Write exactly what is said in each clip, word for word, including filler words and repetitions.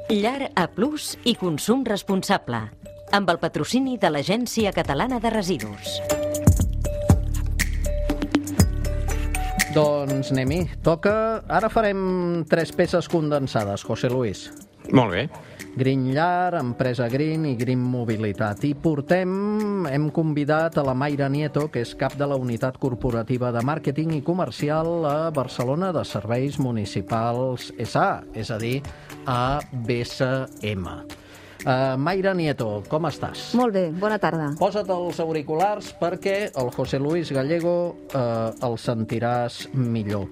Llar A Plus i consum responsable, amb el patrocini de l'Agència Catalana de Residus. Doncs anem-hi. Toca... Ara farem tres peces condensades, José Luis. Molt bé. Green Llar, Empresa Green i Green Mobilitat. I portem, hem convidat a la Mayra Nieto, que és cap de la Unitat Corporativa de Màrqueting i Comercial a Barcelona de Serveis Municipals S A, és a dir, a B S M. Uh, Mayra Nieto, com estàs? Molt bé, bona tarda. Posa't els auriculars perquè el José Luis Gallego uh, el sentiràs millor.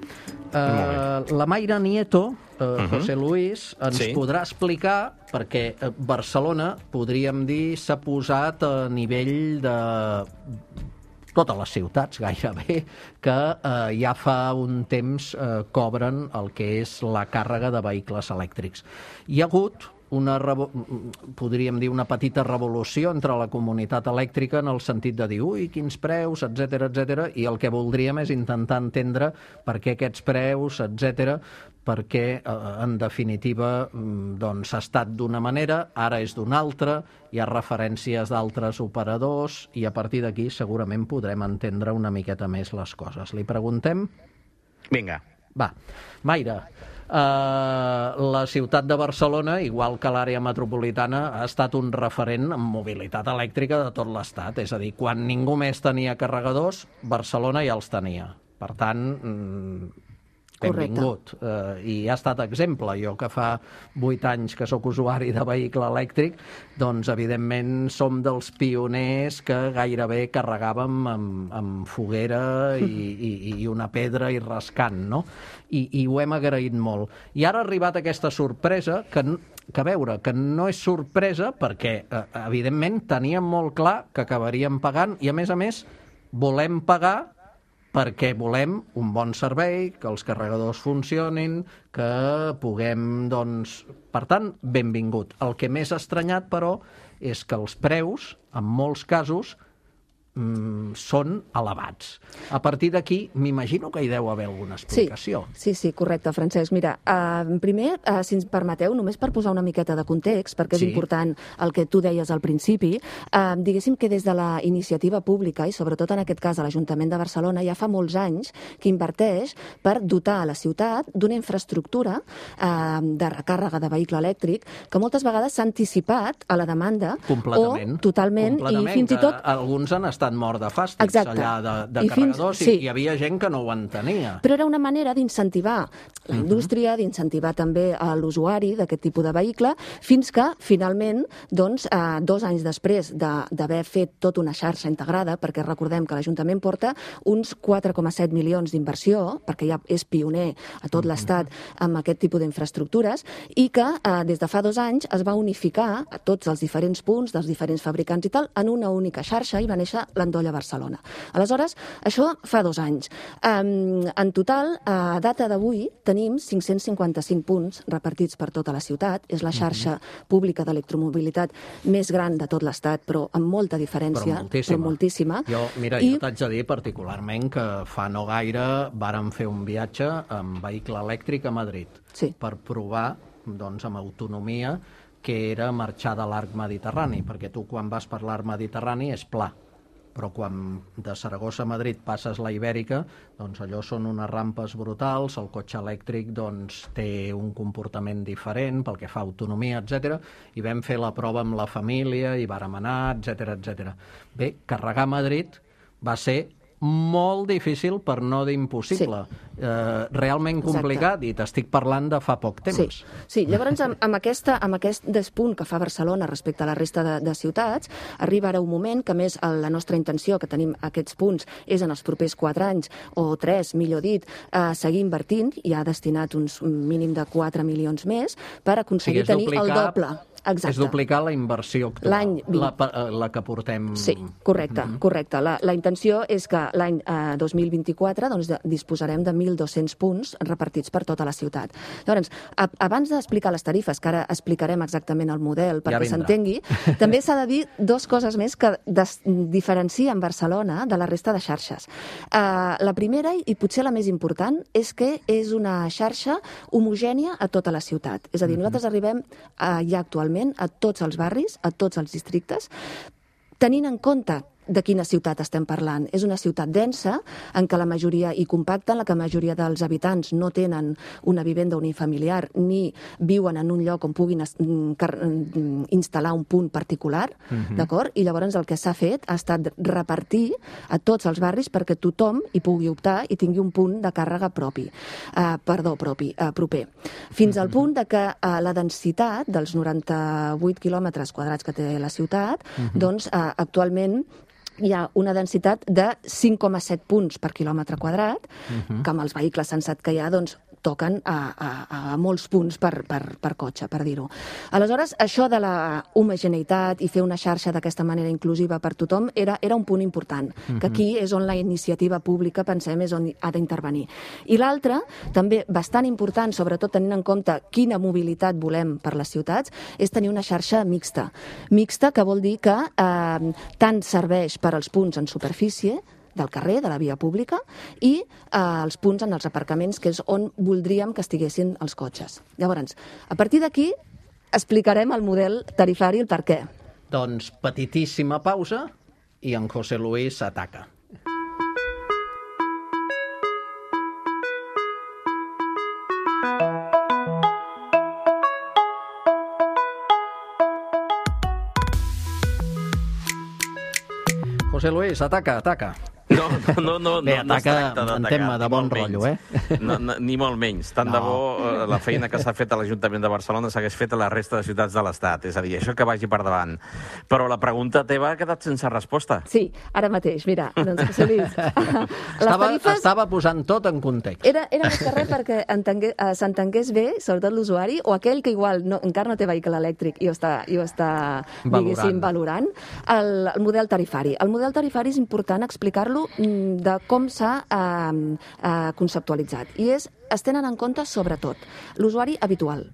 Uh, la Mayra Nieto, uh, uh-huh. José Luis, ens sí. podrà explicar perquè uh, Barcelona, podríem dir, s'ha posat a nivell de totes les ciutats, gairebé, que eh, ja fa un temps eh, cobren el que és la càrrega de vehicles elèctrics. Hi ha hagut una, podríem dir, una petita revolució entre la comunitat elèctrica en el sentit de dir, ui, quins preus, etcètera, etcètera, i el que voldríem és intentar entendre per què aquests preus, etcètera, perquè, en definitiva, doncs, ha estat d'una manera, ara és d'una altra, hi ha referències d'altres operadors i a partir d'aquí segurament podrem entendre una miqueta més les coses. Li preguntem? Vinga. Va. Mayra, eh, la ciutat de Barcelona, igual que l'àrea metropolitana, ha estat un referent en mobilitat elèctrica de tot l'Estat. És a dir, quan ningú més tenia carregadors, Barcelona ja els tenia. Per tant, benvingut. Uh, I ha estat exemple. Jo, que fa vuit anys que sóc usuari de vehicle elèctric, doncs, evidentment, som dels pioners que gairebé carregàvem amb, amb foguera i, i, i una pedra i rascant, no? I, i ho hem agraït molt. I ara ha arribat aquesta sorpresa que, que a veure, que no és sorpresa perquè, eh, evidentment, teníem molt clar que acabaríem pagant i, a més a més, volem pagar perquè volem un bon servei, que els carregadors funcionin, que puguem, doncs... Per tant, benvingut. El que més ha estranyat, però, és que els preus, en molts casos, mm, són elevats. A partir d'aquí, m'imagino que hi deu haver alguna explicació. Sí, sí, sí, correcte, Francesc. Mira, uh, primer, uh, si ens permeteu, només per posar una miqueta de context, perquè és sí. important el que tu deies al principi, uh, diguéssim que des de la iniciativa pública, i sobretot en aquest cas a l'Ajuntament de Barcelona, ja fa molts anys que inverteix per dotar a la ciutat d'una infraestructura uh, de recàrrega de vehicle elèctric que moltes vegades s'ha anticipat a la demanda completament. o totalment, completament, i fins i tot... Alguns han estat mort de fàstics. Exacte. Allà de, de I carregadors fins, sí. i hi havia gent que no ho entenia. Però era una manera d'incentivar la indústria, uh-huh. d'incentivar també a l'usuari d'aquest tipus de vehicle, fins que, finalment, doncs, eh, dos anys després d'haver de, fet tota una xarxa integrada, perquè recordem que l'Ajuntament porta uns quatre coma set milions d'inversió, perquè ja és pioner a tot uh-huh. l'Estat amb aquest tipus d'infraestructures, i que eh, des de fa dos anys es va unificar a tots els diferents punts dels diferents fabricants i tal en una única xarxa i va néixer l'Endolla Barcelona. Aleshores, això fa dos anys. Um, en total, a data d'avui, tenim cinc-cents cinquanta-cinc punts repartits per tota la ciutat. És la xarxa uh-huh. pública d'electromobilitat més gran de tot l'Estat, però amb molta diferència. Però moltíssima. Però moltíssima. Jo, mira, I... jo t'haig de dir particularment que fa no gaire vàrem fer un viatge amb vehicle elèctric a Madrid sí. per provar, doncs, amb autonomia, que era marxar de l'arc mediterrani, perquè tu quan vas per l'arc mediterrani és pla, però quan de Saragossa a Madrid passes la Ibèrica, doncs allò són unes rampes brutals, el cotxe elèctric doncs, té un comportament diferent pel que fa a autonomia, etcètera. I vam fer la prova amb la família i vàrem anar, etcètera, etcètera. Bé, carregar a Madrid va ser molt difícil, per no dir impossible. Sí. Eh, realment complicat. Exacte. I t'estic parlant de fa poc temps. Sí, sí. Llavors, amb, amb, aquesta, amb aquest despunt que fa Barcelona respecte a la resta de, de ciutats, arriba ara un moment que, més, la nostra intenció, que tenim aquests punts, és en els propers quatre anys, o tres, millor dit, eh, seguir invertint, i ha destinat uns un mínim de quatre milions més, per aconseguir o sigui, tenir duplicar, el doble. Exacte. És duplicar la inversió actual, la, la que portem... Sí, correcte, mm -hmm. correcte. La, la intenció és que l'any eh, dos mil vint-i-quatre doncs, disposarem de mil dos-cents punts repartits per tota la ciutat. Llavors, a, abans d'explicar les tarifes, que ara explicarem exactament el model perquè ja s'entengui, també s'ha de dir dues coses més que des, diferencien Barcelona de la resta de xarxes. Uh, la primera, i potser la més important, és que és una xarxa homogènia a tota la ciutat. És a dir, nosaltres arribem uh, ja actualment a tots els barris, a tots els districtes, tenint en compte de quina ciutat estem parlant. És una ciutat densa, en què la majoria, i compacta, en la que la majoria dels habitants no tenen una vivenda unifamiliar ni viuen en un lloc on puguin instal·lar un punt particular, uh-huh. d'acord? I llavors el que s'ha fet ha estat repartir a tots els barris perquè tothom hi pugui optar i tingui un punt de càrrega propi. Uh, perdó, propi, uh, proper. Fins uh-huh. al punt de que uh, la densitat dels noranta-vuit quilòmetres quadrats que té la ciutat, uh-huh. doncs uh, actualment hi ha una densitat de cinc coma set punts per quilòmetre quadrat, uh-huh. que amb els vehicles sensat que hi ha, doncs, toquen a, a, a molts punts per, per, per cotxe, per dir-ho. Aleshores, això de la homogeneïtat i fer una xarxa d'aquesta manera inclusiva per tothom era, era un punt important, uh-huh. que aquí és on la iniciativa pública, pensem, és on ha d'intervenir. I l'altre, també bastant important, sobretot tenint en compte quina mobilitat volem per les ciutats, és tenir una xarxa mixta. Mixta, que vol dir que eh, tant serveix per als punts en superfície, del carrer, de la via pública, i eh, els punts en els aparcaments, que és on voldríem que estiguessin els cotxes. Llavors, a partir d'aquí, explicarem el model tarifari, el per què. Doncs petitíssima pausa i en José Luis ataca. José Luis, ataca, ataca. No, no, no, Bé, no, no es tracta en tema de bon rotllo, eh? No, no, ni molt menys. Tant no. de bo la feina que s'ha fet a l'Ajuntament de Barcelona s'hagués fet a la resta de ciutats de l'Estat. És a dir, això que vagi per davant. Però la pregunta teva ha quedat sense resposta. Sí, ara mateix. Mira, doncs, José Luis, estava, tarifes... estava posant tot en context. Era, era més que res perquè uh, s'entengués bé, sobretot l'usuari, o aquell que igual no, encara no té vehicle elèctric i ho està, i ho està diguéssim, valorant, el, el model tarifari. El model tarifari és important explicar-lo de com s'ha eh, eh, conceptualitzat. I és, es tenen en compte, sobretot, l'usuari habitual.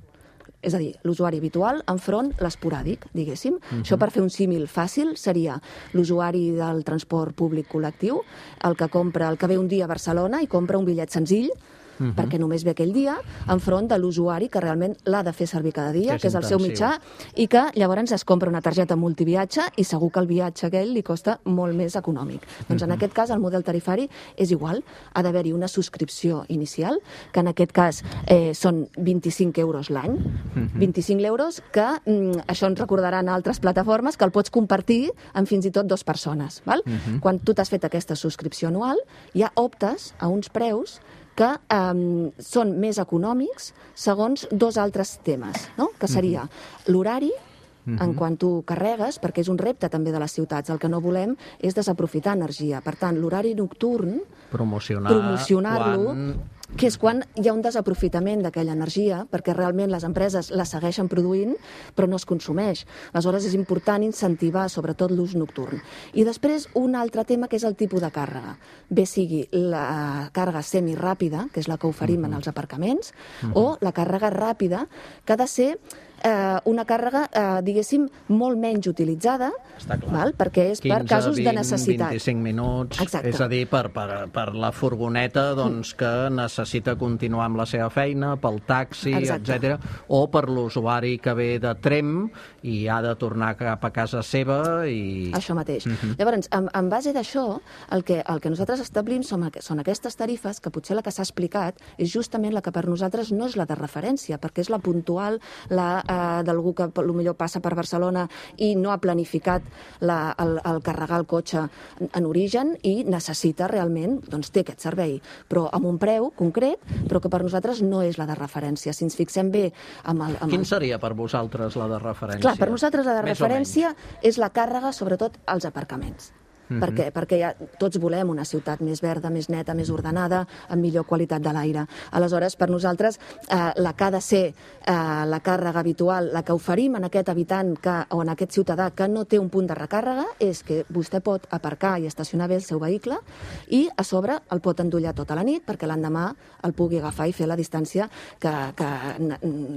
És a dir, l'usuari habitual enfront l'esporàdic, diguéssim. Uh-huh. Això, per fer un símil fàcil, seria l'usuari del transport públic col·lectiu, el que compra, el que ve un dia a Barcelona i compra un bitllet senzill, Uh-huh. perquè només ve aquell dia, enfront de l'usuari que realment l'ha de fer servir cada dia, que és, que és el seu mitjà, i que llavors es compra una targeta multiviatge i segur que el viatge aquell li costa molt més econòmic. Doncs uh-huh. en aquest cas el model tarifari és igual, ha d'haver-hi una subscripció inicial, que en aquest cas eh, són vint-i-cinc euros l'any, uh-huh. vint-i-cinc euros que, mm, això ens recordaran altres plataformes, que el pots compartir amb fins i tot dues persones. Val? Uh-huh. Quan tu t'has fet aquesta subscripció anual, ja optes a uns preus que um, són més econòmics segons dos altres temes, no? Que seria uh-huh. l'horari, uh-huh. en quan tu carregues, perquè és un repte també de les ciutats. El que no volem és desaprofitar energia. Per tant, l'horari nocturn, promocionar, promocionar-lo, quan... que és quan hi ha un desaprofitament d'aquella energia, perquè realment les empreses la segueixen produint, però no es consumeix. Aleshores, és important incentivar, sobretot, l'ús nocturn. I després, un altre tema, que és el tipus de càrrega. Bé sigui la càrrega semiràpida, que és la que oferim uh-huh. en els aparcaments, uh-huh. o la càrrega ràpida, que ha de ser eh, una càrrega, eh, diguéssim, molt menys utilitzada, val? Perquè és per casos de necessitat. quinze, vint, vint-i-cinc minuts, exacte. És a dir, per, per, per la furgoneta doncs, que necessita continuar amb la seva feina, pel taxi, etcètera, o per l'usuari que ve de Trem i ha de tornar cap a casa seva. I... Això mateix. Uh-huh. Llavors, en, en base d'això, el que, el que nosaltres establim són, són aquestes tarifes, que potser la que s'ha explicat és justament la que per nosaltres no és la de referència, perquè és la puntual, la eh, d'algú que potser passa per Barcelona i no ha planificat la, el, el carregar el cotxe en origen i necessita realment, doncs té aquest servei, però amb un preu concret, però que per nosaltres no és la de referència. Si ens fixem bé amb el... Amb Quin el... seria per vosaltres la de referència? Clar, per nosaltres la de Més referència és la càrrega, sobretot als aparcaments. Mm-hmm. perquè, perquè ja tots volem una ciutat més verda, més neta, més ordenada, amb millor qualitat de l'aire. Aleshores, per nosaltres, eh, la que ha de ser eh, la càrrega habitual, la que oferim en aquest habitant que, o en aquest ciutadà que no té un punt de recàrrega, és que vostè pot aparcar i estacionar bé el seu vehicle i, a sobre, el pot endollar tota la nit perquè l'endemà el pugui agafar i fer la distància que, que,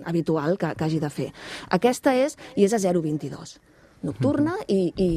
habitual que, que hagi de fer. Aquesta és, i és a zero coma vint-i-dos. Nocturna i, i,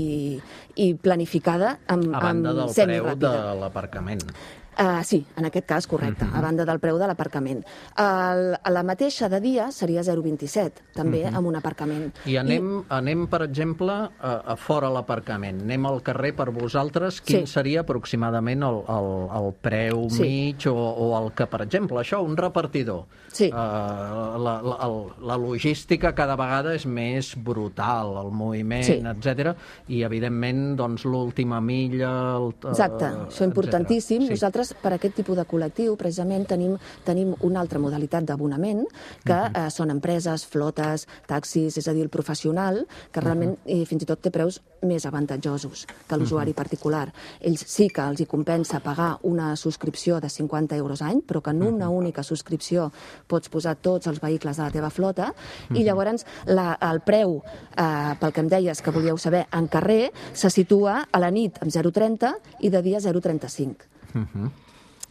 i planificada amb, a banda amb del preu de l'aparcament. Uh, sí, en aquest cas, correcte, uh-huh. a banda del preu de l'aparcament. Uh, la mateixa de dia seria zero coma vint-i-set, també uh-huh. amb un aparcament. I anem, I... anem per exemple, a, a fora l'aparcament. Anem al carrer per vosaltres. Quin sí. seria aproximadament el, el, el preu sí. mig o, o el que, per exemple, això, un repartidor. Sí. Uh, la, la, el, la logística cada vegada és més brutal, el moviment, sí. etcètera. I, evidentment, doncs, l'última milla... El, Exacte, uh, això és importantíssim. Sí. Nosaltres, per aquest tipus de col·lectiu, precisament tenim, tenim una altra modalitat d'abonament, que uh-huh. eh, són empreses, flotes, taxis, és a dir, el professional, que realment uh-huh. eh, fins i tot té preus més avantatjosos que l'usuari uh-huh. particular. Ells sí que els hi compensa pagar una subscripció de cinquanta euros any, però que en una uh-huh. única subscripció pots posar tots els vehicles de la teva flota, uh-huh. i llavors la, el preu, eh, pel que em deies que volíeu saber, en carrer, se situa a la nit amb zero coma trenta i de dia zero coma trenta-cinc. Uh-huh.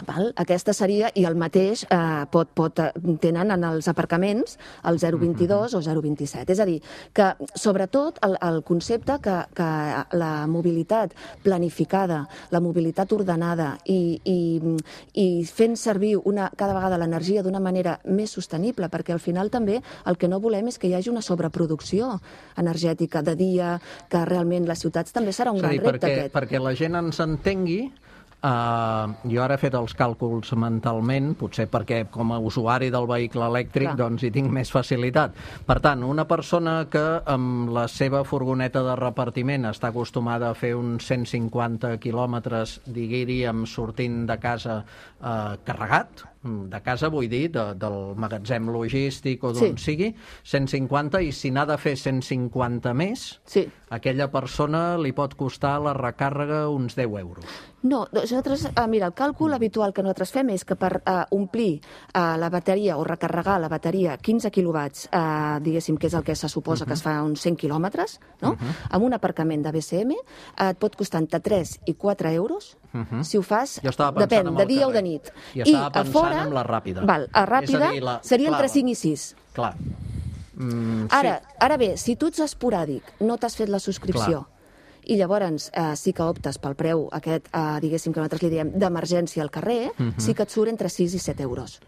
Val? Aquesta seria, i el mateix eh, pot, pot, tenen en els aparcaments el zero coma vint-i-dos uh-huh. o zero coma vint-i-set. És a dir, que sobretot el, el concepte que, que la mobilitat planificada, la mobilitat ordenada i, i, i fent servir una, cada vegada l'energia d'una manera més sostenible, perquè al final també el que no volem és que hi hagi una sobreproducció energètica de dia, que realment les ciutats també serà un gran repte perquè, aquest. Perquè la gent ens entengui. Uh, jo ara he fet els càlculs mentalment, potser perquè com a usuari del vehicle elèctric Clar. doncs hi tinc més facilitat. Per tant, una persona que amb la seva furgoneta de repartiment està acostumada a fer uns cent cinquanta quilòmetres, diguiríem, sortint de casa uh, carregat, de casa vull dir, de, del magatzem logístic o d'on sí. sigui, cent cinquanta, i si n'ha de fer cent cinquanta més, sí. aquella persona li pot costar la recàrrega uns deu euros. No, nosaltres, eh, mira, el càlcul habitual que nosaltres fem és que per eh, omplir eh, la bateria o recarregar la bateria quinze quilowatts, eh, diguéssim, que és el que se suposa uh-huh. que es fa uns cent quilòmetres, no? Uh-huh. amb un aparcament de B C M, eh, et pot costar entre tres i quatre euros, uh-huh. si ho fas, depèn, de dia carrer. o de nit. I estava pensant I a fora, en la ràpida. Val, a ràpida a dir, la... seria entre cinc i sis. Clar. Mm, ara, sí. ara bé, si tu ets esporàdic, no t'has fet la subscripció, Clar. i llavors eh, sí que optes pel preu aquest, eh, diguéssim, que nosaltres li diem d'emergència al carrer, uh-huh. sí que et surt entre sis i set euros.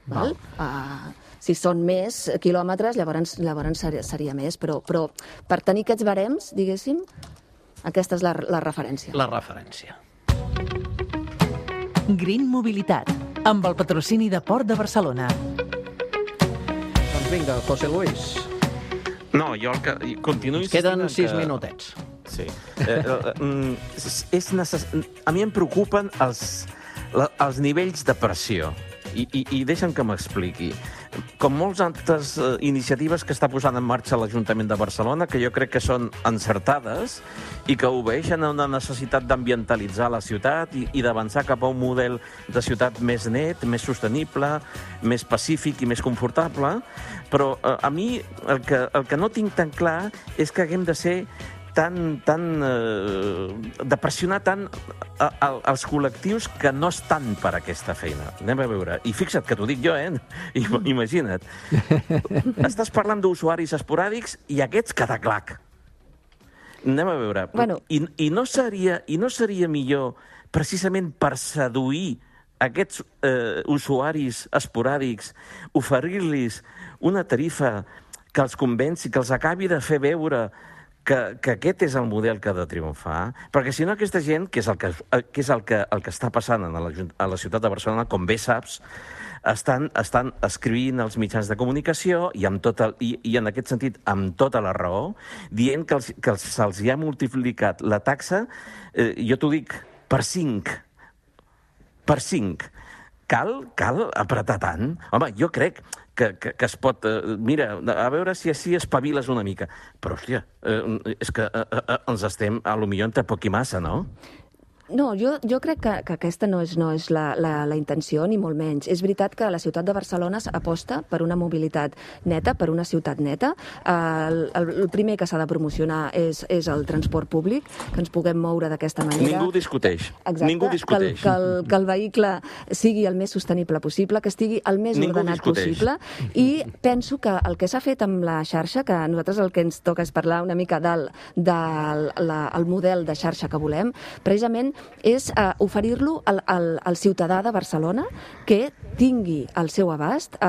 Val? Uh, si són més quilòmetres, llavors, llavors seria, seria més, però, però per tenir aquests barems, diguéssim, aquesta és la, la referència. La referència. Green Mobilitat, amb el patrocini de Port de Barcelona. Doncs vinga, José Luis. No, jo el que... Continuo insistint... Queden sis que... minutets. Sí. Eh, eh, és necess... A mi em preocupen els, la, els nivells de pressió. I, i, i deixa'm que m'expliqui. Com moltes altres uh, iniciatives que està posant en marxa l'Ajuntament de Barcelona, que jo crec que són encertades i que obeeixen a una necessitat d'ambientalitzar la ciutat i, i d'avançar cap a un model de ciutat més net, més sostenible, més pacífic i més confortable, però uh, a mi el que, el que no tinc tan clar és que haguem de ser tan, tan, eh, de pressionar tant a, a, als col·lectius que no estan per aquesta feina. Anem a veure. I fixa't que t'ho dic jo, eh? I, imagina't. Estàs parlant d'usuaris esporàdics i aquests cada clac. Anem a veure. Bueno. I, i, no seria, I no seria millor, precisament per seduir aquests eh, usuaris esporàdics, oferir-los una tarifa que els convenci, que els acabi de fer veure Que, que aquest és el model que ha de triomfar, perquè si no aquesta gent, que és el que, que, és el que, el que està passant a la, a la ciutat de Barcelona, com bé saps, estan, estan escrivint als mitjans de comunicació i, amb tot el, i, i en aquest sentit amb tota la raó, dient que, els, que els, se'ls hi ha multiplicat la taxa, eh, jo t'ho dic, per cinc. Per cinc. cal, cal apretar tant? Home, jo crec que, que, que es pot... Eh, mira, a veure si així espaviles una mica. Però, hòstia, eh, és que eh, eh, ens estem, a lo millor, entre poc i massa, no? No, jo, jo crec que, que aquesta no és, no és la, la, la intenció, ni molt menys. És veritat que la ciutat de Barcelona aposta per una mobilitat neta, per una ciutat neta. El, el, el primer que s'ha de promocionar és, és el transport públic, que ens puguem moure d'aquesta manera. Ningú discuteix. Exacte, Ningú discuteix. Que el, que, el, que el vehicle sigui el més sostenible possible, que estigui el més Ningú ordenat discuteix. possible, i penso que el que s'ha fet amb la xarxa, que a nosaltres el que ens toca és parlar una mica del, del la, el model de xarxa que volem, precisament és eh, oferir-lo al, al, al ciutadà de Barcelona que tingui al seu abast eh,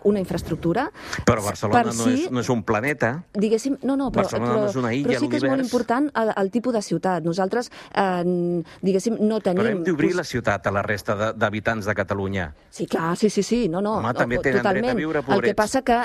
una infraestructura. Però Barcelona per no, si, és, no és un planeta. Diguéssim, no, no, però, Barcelona però, no és una illa però sí que és molt l'univers. important el, el tipus de ciutat. Nosaltres, eh, diguéssim, no tenim... Però hem d'obrir la ciutat a la resta de- d'habitants de Catalunya. Sí, clar, sí, sí, sí, no, no. Home, no, també tenen totalment. dret a viure, El que pobrets. passa que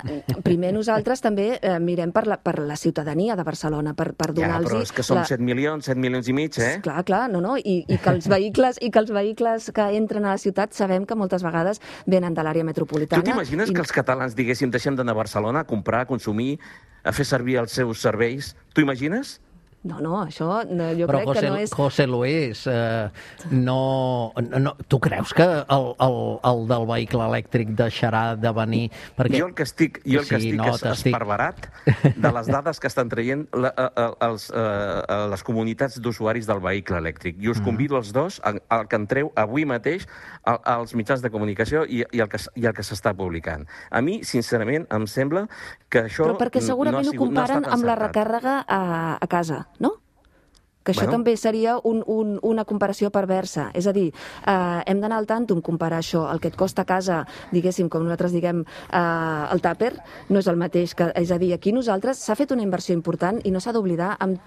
primer nosaltres també eh, mirem per la, per la ciutadania de Barcelona, per, per Ja, donar-los... però és que som set milions, set milions i mig, eh? Clar, clar, no, no, i, i que els vehicles i que els vehicles que entren a la ciutat sabem que moltes vegades venen de l'àrea metropolitana. Tu t'imagines i... que els catalans diguéssim deixem d'anar a Barcelona a comprar, a consumir, a fer servir els seus serveis? T'ho imagines? No, no, això no, jo Però crec José, que no és... José Luis, eh, no, no, tu creus que el, el, el del vehicle elèctric deixarà de venir? Perquè... Jo el que estic, jo el que Sí, estic no, és t'estic- esparverat de les dades que estan traient la, a, a, els, a, a les comunitats d'usuaris del vehicle elèctric. I us convido els dos al que entreu avui mateix a, als mitjans de comunicació i, i el que, s- i el que s'està publicant. A mi, sincerament, em sembla que això Però perquè segurament no ha ho sigut, no ha comparen estat amb la encertat. recàrrega a, a casa, no? Que això Bueno. també seria un, un, una comparació perversa. És a dir, eh, hem d'anar al tanto en comparar això. El que et costa a casa, diguéssim, com nosaltres diguem, eh, el tàper, no és el mateix. Que, és a dir, aquí nosaltres s'ha fet una inversió important i no s'ha d'oblidar. Amb...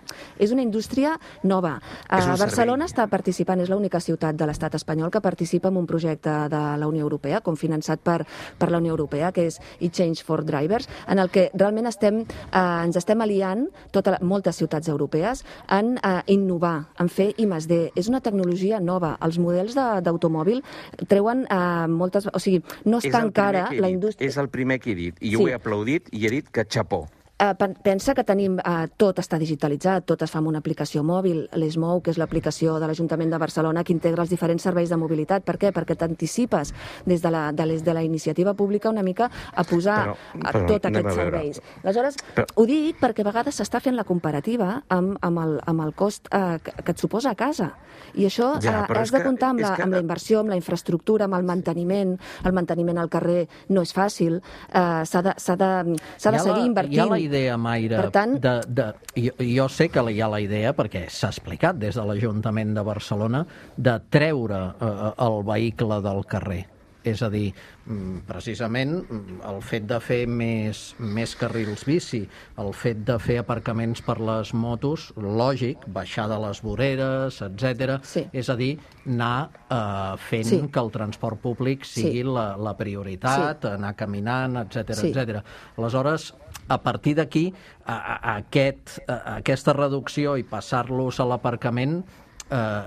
És una indústria nova. És un Eh, Barcelona servei. està participant, és l'única ciutat de l'estat espanyol que participa en un projecte de la Unió Europea, com finançat per, per la Unió Europea, que és e-Change for Drivers, en el que realment estem, eh, ens estem aliant tota la, moltes ciutats europees en eh, innovar, en fer I més D. És una tecnologia nova. Els models de- d'automòbil treuen eh, moltes... O sigui, no És està el encara primer que he la dit, indústria... És el primer que he dit, i Sí. ho he aplaudit i he dit que xapó. Eh, pen- pensa que tenim, eh, tot està digitalitzat, tot es fa amb una aplicació mòbil, l'Esmou, que és l'aplicació de l'Ajuntament de Barcelona que integra els diferents serveis de mobilitat. Per què? Perquè t'anticipes des de la, de, les, de la iniciativa pública una mica a posar Però- a però tot anem aquests a veure. serveis. Aleshores, Però- ho dic perquè a vegades s'està fent la comparativa amb, amb, el, amb el cost eh, que, que et suposa a casa. I això Ja, eh, però has és de que- comptar amb és la, que- amb la inversió, amb la infraestructura, amb el manteniment. El manteniment al carrer no és fàcil. Eh, s'ha de, s'ha de, s'ha de Hi ha seguir la, invertint. Hi ha la idea, Mayra, Per tant- de, de, jo, jo sé que hi ha la idea, perquè s'ha explicat des de l'Ajuntament de Barcelona, de treure eh, el vehicle del carrer. És a dir, mm, precisament mm, el fet de fer més, més carrils bici, el fet de fer aparcaments per les motos, lògic, baixar de les voreres, etcètera. Sí. És a dir, anar eh, fent Sí. que el transport públic sigui Sí. la, la prioritat, Sí. anar caminant, etcètera, Sí. etcètera. Aleshores, a partir d'aquí, a, a, aquest, a, aquesta reducció i passar-los a l'aparcament eh,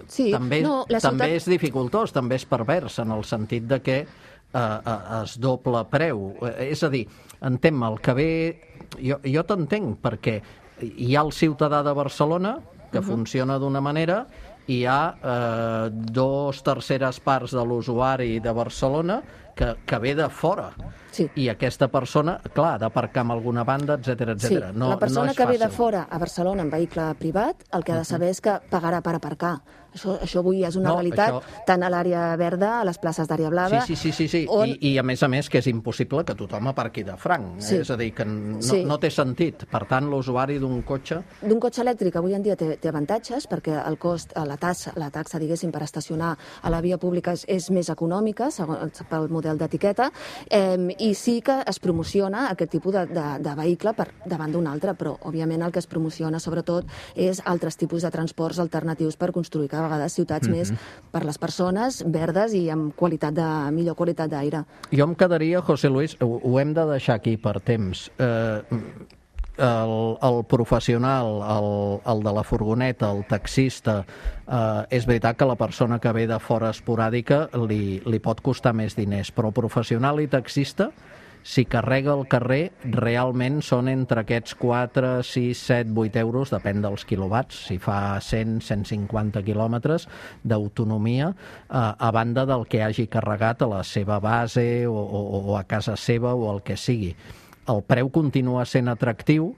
Sí, també, no, la també ciutat... és dificultós, també és pervers, en el sentit de que eh, eh, es doble preu. Eh, és a dir, entén-me, el que ve... Jo, jo t'entenc, perquè hi ha el ciutadà de Barcelona, que uh -huh. funciona d'una manera, i hi ha eh, dos terceres parts de l'usuari de Barcelona que, que ve de fora. Sí. I aquesta persona, clar, ha d'aparcar en alguna banda, etcètera, etcètera. Sí, No, la persona no és que ve de fàcil. fora a Barcelona en vehicle privat, el que ha de saber és que pagarà per aparcar. Això, això avui és una No, realitat, això- tant a l'àrea verda, a les places d'àrea blava... Sí, sí, sí, sí, sí. On... I, i a més a més que és impossible que tothom aparqui de franc. Sí. Eh? És a dir, que no, Sí. no té sentit. Per tant, l'usuari d'un cotxe... D'un cotxe elèctric avui en dia té, té avantatges perquè el cost, la taxa, la taxa, diguéssim, per estacionar a la via pública és, és més econòmica, segons pel model d'etiqueta, eh, i sí que es promociona aquest tipus de, de, de vehicle per davant d'un altre, però, òbviament, el que es promociona, sobretot, és altres tipus de transports alternatius per construir cada vegada ciutats mm-hmm. més per les persones, verdes i amb qualitat de, millor qualitat d'aire. Jo em quedaria, José Luis, ho, ho hem de deixar aquí per temps. Eh, el, el professional, el, el de la furgoneta, el taxista, eh, és veritat que la persona que ve de fora esporàdica li, li pot costar més diners, però professional i taxista, si carrega el carrer, realment són entre aquests quatre, sis, set, vuit euros, depèn dels quilowatts, si fa cent, cent cinquanta quilòmetres d'autonomia, eh, a banda del que hagi carregat a la seva base o, o, o a casa seva o el que sigui. El preu continua sent atractiu,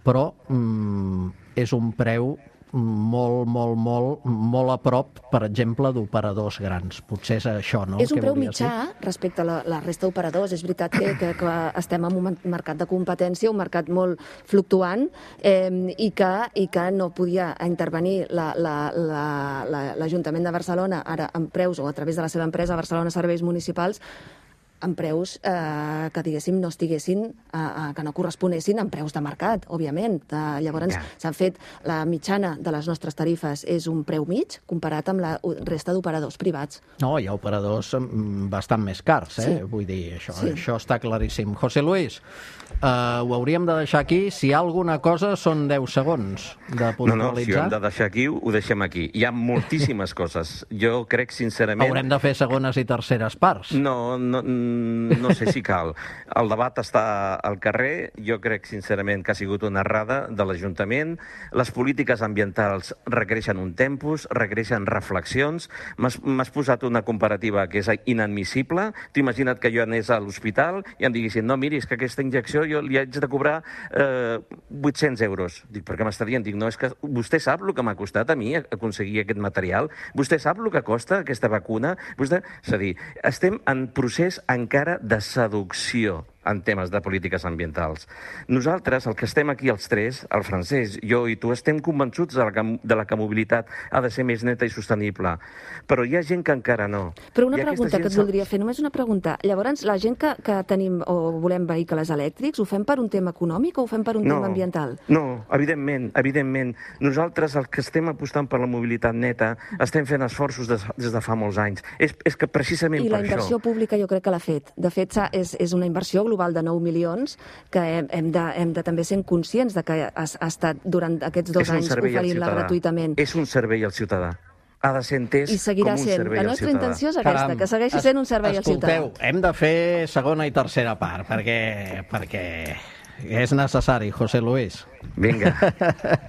però mm, és un preu molt, molt, molt, molt a prop, per exemple, d'operadors grans. Potser és això, no? És un preu mitjà respecte a la, la resta d'operadors. És veritat que, que, que estem en un mercat de competència, un mercat molt fluctuant, eh, i, que, i que no podia intervenir l'Ajuntament la, la, la, de Barcelona ara amb preus, o a través de la seva empresa Barcelona Serveis Municipals, amb preus eh, que, diguéssim, no estiguessin, eh, que no corresponessin amb preus de mercat, òbviament. Eh, llavors, ja. s'han fet, la mitjana de les nostres tarifes és un preu mig comparat amb la resta d'operadors privats. No, hi ha operadors bastant més cars, eh? Sí. Vull dir, això, sí. això està claríssim. José Luis, eh, ho hauríem de deixar aquí. Si hi ha alguna cosa, són deu segons de puntualitzar. No, no, si ho hem de deixar aquí, ho deixem aquí. Hi ha moltíssimes coses. Jo crec, sincerament... Haurem de fer segones i terceres parts. No, no, no sé si cal. El debat està al carrer. Jo crec, sincerament, que ha sigut una errada de l'Ajuntament. Les polítiques ambientals requereixen un tempus, requereixen reflexions. M'has posat una comparativa que és inadmissible. T'ho imagina't que jo anés a l'hospital i em diguessin, no, miri, és que aquesta injecció jo li haig de cobrar eh, vuit-cents euros. Dic, per què m'està dient? Dic, no, és que vostè sap el que m'ha costat a mi aconseguir aquest material? Vostè sap el que costa aquesta vacuna? Vostè... És a dir, estem en procés encara de seducció en temes de polítiques ambientals. Nosaltres, el que estem aquí els tres, el Francesc, jo i tu, estem convençuts de la que, de la que mobilitat ha de ser més neta i sostenible. Però hi ha gent que encara no. Però una pregunta que et voldria fer, només una pregunta. Llavors, la gent que, que tenim o volem vehicles elèctrics, ho fem per un tema econòmic o ho fem per un no, tema ambiental? No, evidentment, evidentment. Nosaltres, el que estem apostant per la mobilitat neta, estem fent esforços des, des de fa molts anys. És, és que precisament I per això... I la inversió pública jo crec que l'ha fet. De fet, és, és una inversió global de nou milions que hem, hem, de, hem de també ser conscients de que ha, ha estat durant aquests dos anys oferint-la gratuïtament. És un servei al ciutadà. Ha de ser entès I seguirà com un sent. servei La nostra al ciutadà. intenció és aquesta, Caram, que segueixi sent un servei escolteu, al ciutadà. Hem de fer segona i tercera part, perquè, perquè és necessari, José Luis. Vinga.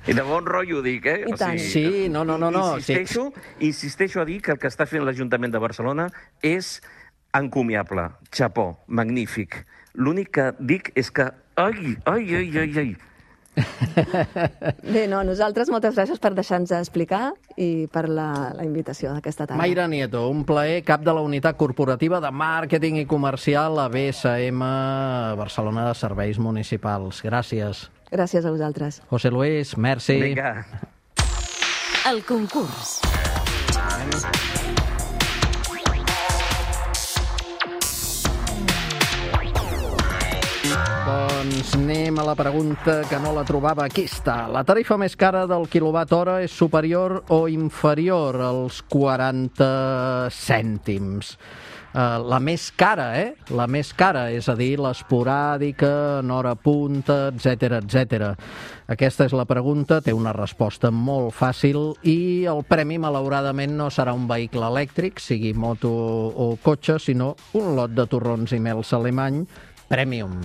I de bon rotllo ho dic, eh? I tant. O sigui, sí, no, no, no. no insisteixo, sí. insisteixo a dir que el que està fent l'Ajuntament de Barcelona és encomiable. Chapó, magnífic. L'únic que dic és que... Ai, ai, ai, ai, ai. Bé, no, nosaltres moltes gràcies per deixar-nos explicar i per la, la invitació d'aquesta tarda. Mayra Nieto, un plaer, cap de la Unitat Corporativa de Màrqueting i Comercial a B S M Barcelona de Serveis Municipals. Gràcies. Gràcies a vosaltres. José Luis, merci. Vinga. El concurs. Doncs anem a la pregunta que no la trobava. Aquí està. La tarifa més cara del quilowatt hora és superior o inferior als quaranta cèntims? Uh, la més cara, eh? La més cara, és a dir, l'esporàdica, en hora punta, etcètera, etcètera. Aquesta és la pregunta, té una resposta molt fàcil i el premi, malauradament, no serà un vehicle elèctric, sigui moto o cotxe, sinó un lot de torrons i mels alemany Premium,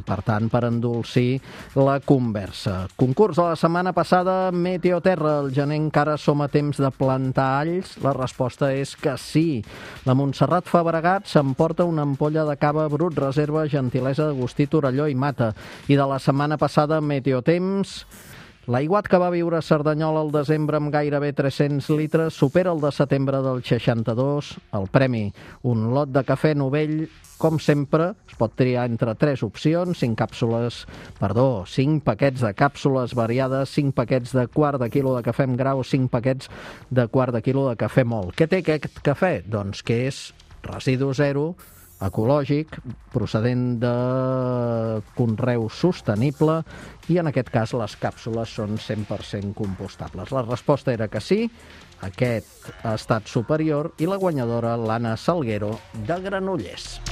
per tant, per endolcir la conversa. Concurs de la setmana passada, Meteoterra. El gener encara som a temps de plantar alls? La resposta és que sí. La Montserrat Fabregat s'emporta una ampolla de cava Brut Reserva, gentilesa d'Agustí Torelló i Mata. I de la setmana passada, Meteotemps... L'aiguat que va viure a Cerdanyola al desembre amb gairebé tres-cents litres supera el de setembre del seixanta-dos. El premi, un lot de cafè Novell. Com sempre, es pot triar entre tres opcions, cinc càpsules, perdó, cinc paquets de càpsules variades, cinc paquets de quart de quilo de cafè amb grau, cinc paquets de quart de quilo de cafè mòlt. Què té aquest cafè? Doncs que és residu zero, ecològic, procedent de conreu sostenible i en aquest cas les càpsules són cent per cent compostables. La resposta era que sí, aquest ha estat superior i la guanyadora l'Anna Salguero de Granollers.